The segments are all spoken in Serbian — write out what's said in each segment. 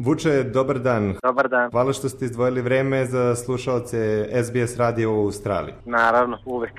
Vuče, dobar dan. Dobar dan. Hvala što ste izdvojili vreme za slušaoce SBS radija u Australiji. Naravno, uvek.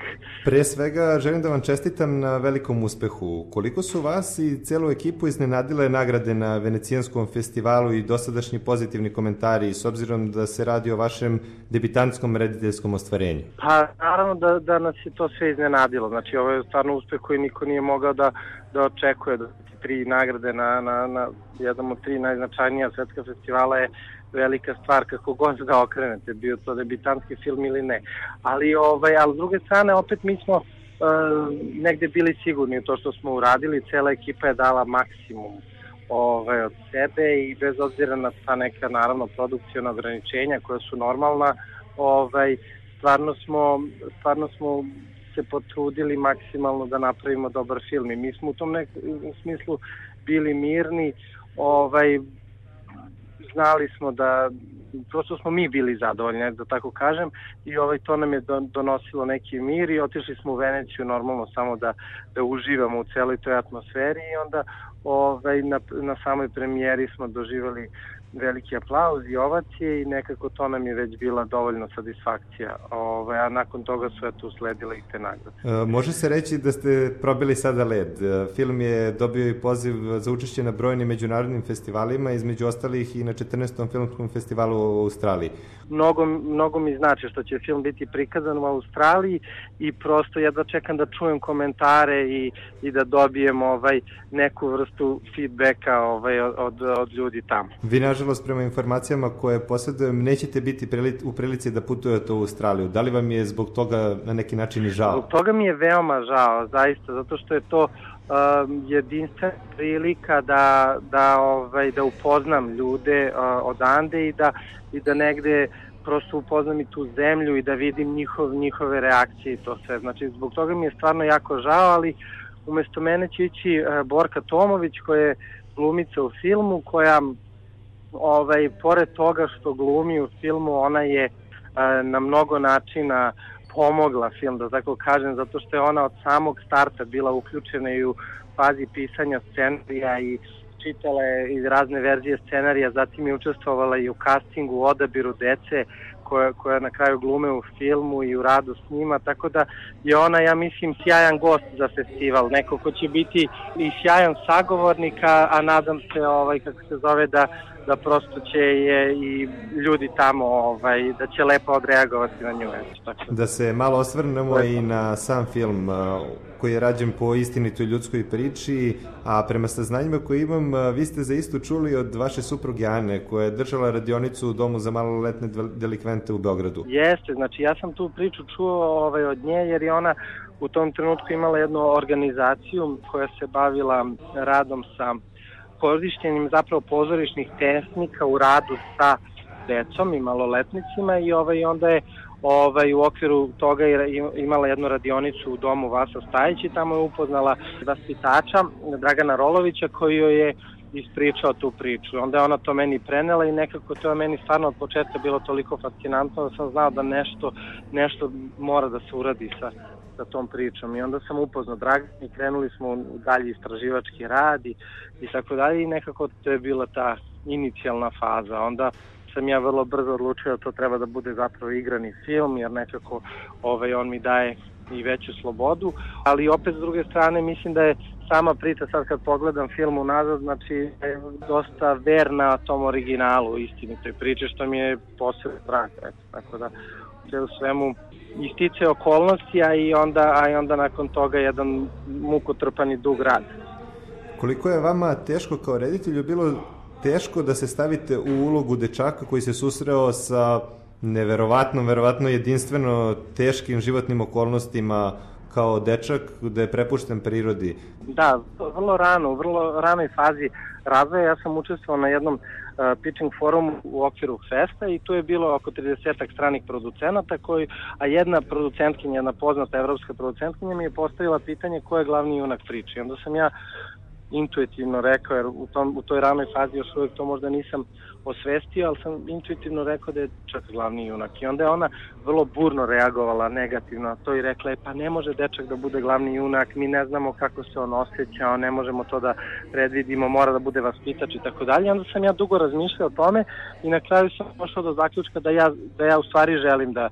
Pre svega, želim da vam čestitam na velikom uspehu. Koliko su vas i celu ekipu iznenadile nagrade na Venecijanskom festivalu i dosadašnji pozitivni komentari, s obzirom da se radi o vašem debitantskom rediteljskom ostvarenju? Pa, naravno da nas je to sve iznenadilo. Znači, ovo je stvarno uspeh koji niko nije mogao da očekuje. Da 3 nagrade na jednom od 3 najznačajnija svetska festivala je velika stvar kako god da okrenete, bio to debitantski film ili ne. Ali s druge strane, opet mi smo negde bili sigurni u to što smo uradili, cela ekipa je dala maksimum od sebe i bez obzira na ta neka, naravno, produkcijona ograničenja koja su normalna, stvarno smo se potrudili maksimalno da napravimo dobar film i mi smo u tom nekom smislu bili mirni, znali smo da prosto smo mi bili zadovoljni, da tako kažem, i to nam je donosilo neki mir i otišli smo u Veneciju normalno samo da uživamo u celoj toj atmosferi i onda na samoj premijeri smo doživali veliki aplauz i ovacije i nekako to nam je već bila dovoljna satisfakcija, a nakon toga su usledile i te nagrade. Može se reći da ste probili sada led. Film je dobio i poziv za učešće na brojnim međunarodnim festivalima, između ostalih i na 14. filmskom festivalu u Australiji. Mnogo mi znači što će film biti prikazan u Australiji i prosto jedva čekam da čujem komentare i da dobijem neku vrstu feedbacka od ljudi tamo. Vi, nažalost, prema informacijama koje posjedujem, nećete biti u prilici da putujete u Australiju. Da li vam je zbog toga na neki način i žao? Zbog toga mi je veoma žao, zaista, zato što je to jedinstvena prilika da upoznam ljude odande i da negde prosto upoznam i tu zemlju i da vidim njihove reakcije i to sve. Znači, zbog toga mi je stvarno jako žao, ali umesto mene će ići Borka Tomović, koja je glumica u filmu, koja pored toga što glumi u filmu, ona je na mnogo načina pomogla film, da tako kažem, zato što je ona od samog starta bila uključena i u fazi pisanja scenarija i čitala je iz razne verzije scenarija, zatim je učestvovala i u castingu, u odabiru dece koja na kraju glume u filmu i u radu s njima, tako da je ona, ja mislim, sjajan gost za festival, neko ko će biti i sjajan sagovornik, a nadam se, kako se zove, da prosto će je i ljudi tamo, da će lepo odreagovati na nju. Da se malo osvrnemo i na sam film koji je rađen po istinitoj ljudskoj priči, a prema saznanjima koje imam, vi ste za istu čuli od vaše supruge Ane, koja je držala radionicu u domu za maloletne delikvente u Beogradu. Jeste, znači ja sam tu priču čuo od nje, jer je ona u tom trenutku imala jednu organizaciju koja se bavila radom sa korišćenjem zapravo pozorišnih tehnika u radu sa decom i maloletnicima i onda je u okviru toga imala jednu radionicu u domu Vasa Stajić i tamo je upoznala vaspitača Dragana Rolovića koji joj je ispričao tu priču. Onda je ona to meni prenela i nekako to je meni stvarno od početka bilo toliko fascinantno da sam znao da nešto mora da se uradi sa tom pričom i onda sam upoznao Dragana i krenuli smo u dalji istraživački rad i tako dalje i nekako to je bila ta inicijalna faza. Onda sam ja vrlo brzo odlučio da to treba da bude zapravo igrani film, jer nekako on mi daje i veću slobodu, ali opet s druge strane mislim da je sama priča, sad kad pogledam film unazad, znači je dosta verna tom originalu, istinitoj priče, što mi je posebno drago, tako da sve u svemu ističe okolnosti, a i onda nakon toga jedan mukotrpan i dug rad. Koliko je vama teško kao reditelju bilo teško da se stavite u ulogu dečaka koji se susreo sa verovatno jedinstveno teškim životnim okolnostima kao dečak, da je prepušten prirodi? Da, vrlo ranoj fazi razvoja ja sam učestvovao na jednom pitching forumu u okviru festa i tu je bilo oko 30 stranih producenata, a jedna producentkinja, jedna poznata evropska producentkinja mi je postavila pitanje ko je glavni junak priče. I onda sam ja intuitivno rekao, jer u toj ranoj fazi još uvijek to možda nisam osvestio, ali sam intuitivno rekao da je dečak glavni junak. I onda je ona vrlo burno reagovala negativno na to i rekla je, pa ne može dečak da bude glavni junak, mi ne znamo kako se on osjeća, ne možemo to da predvidimo, mora da bude vaspitač i tako dalje. Onda sam ja dugo razmišljao o tome i na kraju sam došao do zaključka da ja u stvari želim da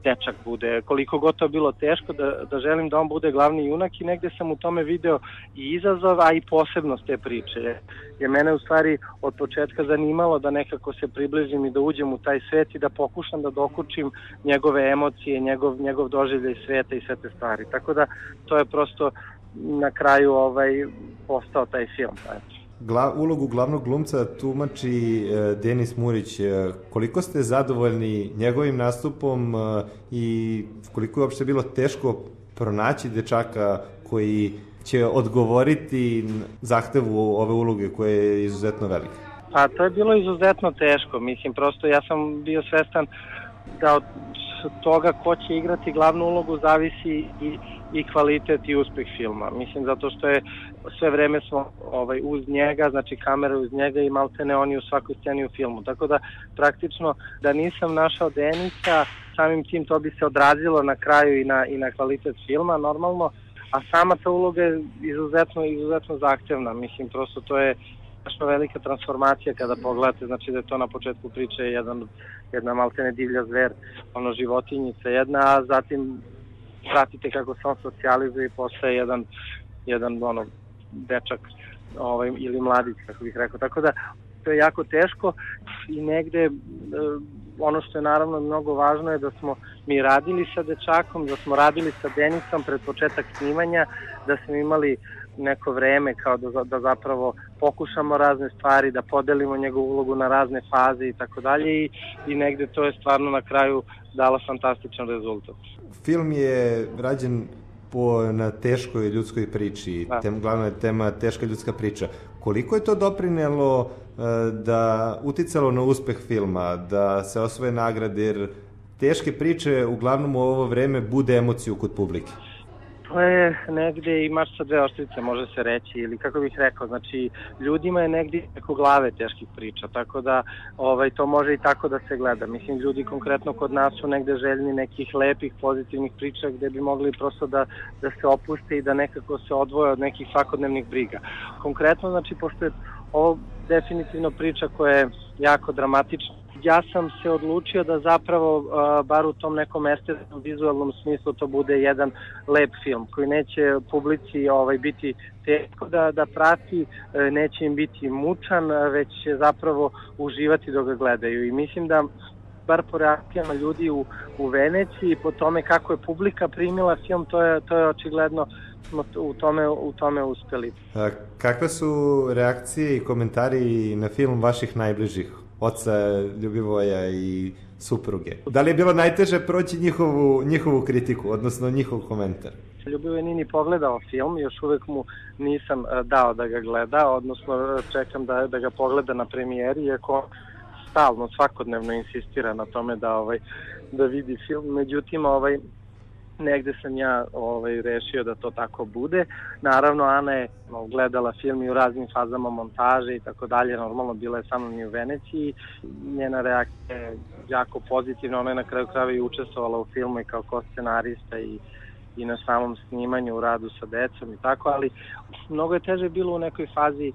dečak bude, koliko god to bilo teško, da želim da on bude glavni junak, i negde sam u tome video i izazov, a i posebnost te priče. Je mene u stvari od početka zanimalo da nekako se približim i da uđem u taj svet i da pokušam da dokučim njegove emocije, njegov doživljaj sveta i sve te stvari. Tako da to je prosto na kraju postao taj film. Ulogu glavnog glumca tumači Denis Murić. Koliko ste zadovoljni njegovim nastupom i koliko je uopšte bilo teško pronaći dečaka koji će odgovoriti zahtevu ove uloge koja je izuzetno velika? Pa to je bilo izuzetno teško, mislim, prosto ja sam bio svestan da od toga ko će igrati glavnu ulogu zavisi i kvalitet i uspeh filma. Mislim, zato što je sve vreme smo uz njega, znači kamera uz njega i maltene oni u svakoj sceni u filmu. Tako da praktično da nisam našao Denisa, samim tim to bi se odrazilo na kraju i na kvalitet filma normalno, a sama ta uloga je izuzetno zahtevna. Mislim, prosto to je strašno velika transformacija kada pogledate, znači da je to na početku priče jedna maltene divlja zver, životinjica jedna, a zatim pratite kako se on socijalizuje i postaje jedan dečak ili mladić, kako bih rekao. Tako da to je jako teško i negde ono što je naravno mnogo važno je da smo mi radili sa dečakom, da smo radili sa Denisom pred početak snimanja, da smo imali neko vreme kao da zapravo pokušamo razne stvari, da podelimo njegovu ulogu na razne faze i tako dalje i negde to je stvarno na kraju dalo fantastičan rezultat. Film je rađen na teškoj ljudskoj priči, glavna je tema teška ljudska priča. Koliko je to doprinelo uticalo na uspeh filma, da se osvoje nagrade, jer teške priče uglavnom u ovo vreme bude emociju kod publike? To je negde i mač sa dve oštrice, može se reći, ili kako bih rekao, znači ljudima je negde preko glave teških priča, tako da to može i tako da se gleda. Mislim, ljudi konkretno kod nas su negde željni nekih lepih, pozitivnih priča gde bi mogli prosto da se opuste i da nekako se odvoje od nekih svakodnevnih briga. Konkretno, znači, pošto je ovo definitivno priča koja je jako dramatična, ja sam se odlučio da zapravo, bar u tom nekom estetskom, vizualnom smislu, to bude jedan lep film koji neće publici biti teško da prati, neće im biti mučan, već će zapravo uživati dok ga gledaju. I mislim da, bar po reakcijama ljudi u Veneciji, po tome kako je publika primila film, to je očigledno u tome uspeli. Kakve su reakcije i komentari na film vaših najbližih? Oca Ljubivoja i supruge. Da li je bilo najteže proći njihovu kritiku, odnosno njihov komentar? Ljubivoj nije ni pogledao film, još uvek mu nisam dao da ga gleda, odnosno čekam da ga pogleda na premijeri, iako stalno, svakodnevno insistira na tome da vidi film. Međutim, negde sam ja rešio da to tako bude. Naravno, Ana je gledala film i u raznim fazama montaže i tako dalje. Normalno, bila je sa mnom i u Veneciji. Njena reakcija je jako pozitivna. Ona je na kraju krajeva i učestvovala u filmu i kao scenarista i na samom snimanju, u radu sa decom i tako, ali mnogo je teže bilo u nekoj fazi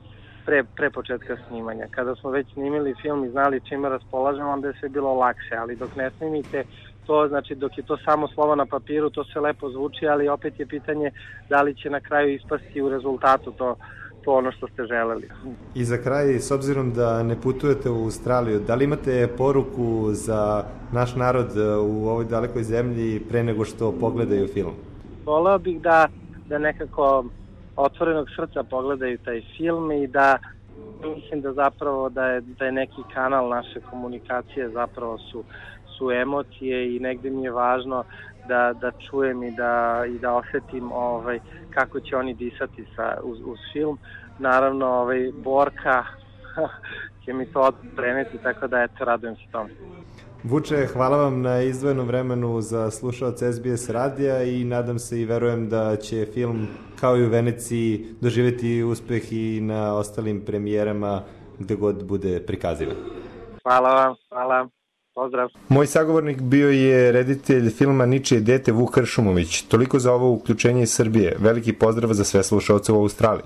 pre početka snimanja. Kada smo već snimili film i znali čime raspolažemo, onda je sve bilo lakše, ali dok ne snimite to, znači dok je to samo slovo na papiru, to se lepo zvuči, ali opet je pitanje da li će na kraju ispasti u rezultatu to ono što ste želeli. I za kraj, s obzirom da ne putujete u Australiju, da li imate poruku za naš narod u ovoj dalekoj zemlji pre nego što pogledaju film? Voleo bih da nekako otvorenog srca pogledaju taj film i da mislim da zapravo da je neki kanal naše komunikacije zapravo su emocije i negde mi je važno da čujem i da osetim kako će oni disati uz film. Naravno, Borka će mi to preneti, tako da radujem se tomu. Vuče, hvala vam na izdvojenom vremenu za slušaoce SBS radija i nadam se i verujem da će film kao i u Veneciji doživjeti uspeh i na ostalim premijerama gde god bude prikazivan. Hvala vam, hvala. Pozdrav. Moj sagovornik bio je reditelj filma Ničije dete Vuk Kršumović. Toliko za ovo uključenje iz Srbije. Veliki pozdrav za sve slušaoce u Australiji.